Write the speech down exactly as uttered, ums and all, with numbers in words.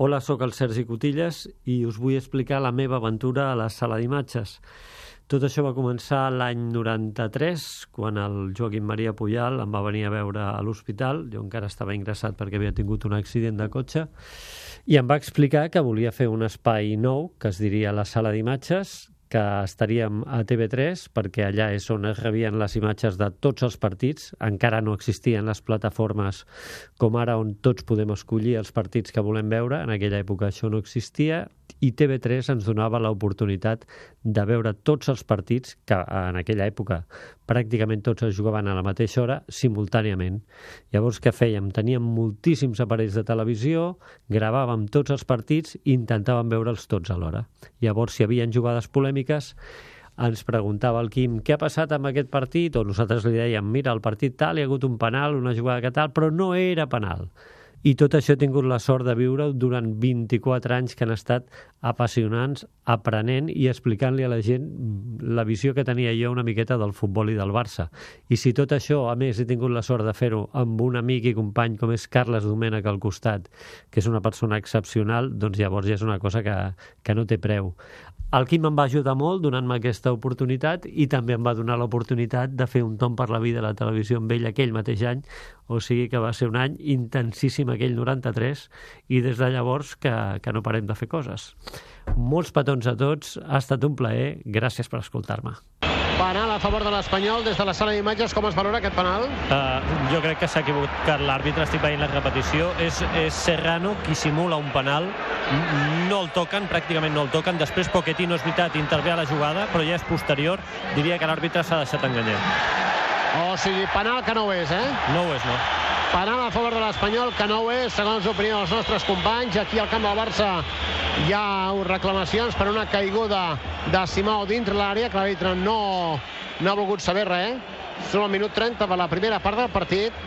Hola, sóc el Sergi Cotillas i us vull explicar la meva aventura a la sala d'imatges. Tot això va començar l'any noranta-tres, quan el Joaquim Maria Pujal em va venir a veure a l'hospital. Jo encara estava ingressat perquè havia tingut un accident de cotxe i em va explicar que volia fer un espai nou, que es diria la sala d'imatges, que estaríem a T V tres, perquè allà és on es rebien les imatges de tots els partits. Encara no existien les plataformes com ara, on tots podem escollir els partits que volem veure. En aquella època això no existia, i T V tres ens donava l'oportunitat de veure tots els partits, que en aquella època pràcticament tots es jugaven a la mateixa hora, simultàniament. Llavors, què fèiem? Teníem moltíssims aparells de televisió, gravàvem tots els partits i intentàvem veure'ls tots alhora. Llavors, si hi havia jugades polèmiques, ens preguntava el Quim què ha passat amb aquest partit, o nosaltres li dèiem, mira, el partit tal, hi ha hagut un penal, una jugada que tal, però no era penal. I tot això he tingut la sort de viure durant vint-i-quatre anys, que han estat apassionants, aprenent i explicant-li a la gent la visió que tenia jo una miqueta del futbol i del Barça. I si tot això, a més, he tingut la sort de fer-ho amb un amic i company com és Carles Domènech al costat, que és una persona excepcional, doncs llavors ja és una cosa que, que no té preu. El Quim em va ajudar molt donant-me aquesta oportunitat i també em va donar l'oportunitat de fer un tomb per la vida a la televisió amb ell aquell mateix any, o sigui que va ser un any intensíssim aquell noranta-tres, i des de llavors que, que no parem de fer coses. Molts petons a tots, ha estat un plaer, gràcies per escoltar-me. Penal a favor de l'Espanyol. Des de la sala d'imatges, com es valora aquest penal? Uh, jo crec que s'ha equivocat l'àrbitre, estic veient la repetició. És, és Serrano qui simula un penal. No el toquen, pràcticament no el toquen. Després Pochettino, és veritat, intervé a la jugada, però ja és posterior. Diria que l'àrbitre s'ha deixat enganyar. O sigui, penal que no ho és, eh? No ho és, no. Penal a favor de l'Espanyol, que no ho és, segons l'opinió dels nostres companys. Aquí al camp del Barça hi ha reclamacions per una caiguda de Simao dintre l'àrea, que l'àrbitre no, no ha volgut saber res. Som al minut trenta per la primera part del partit.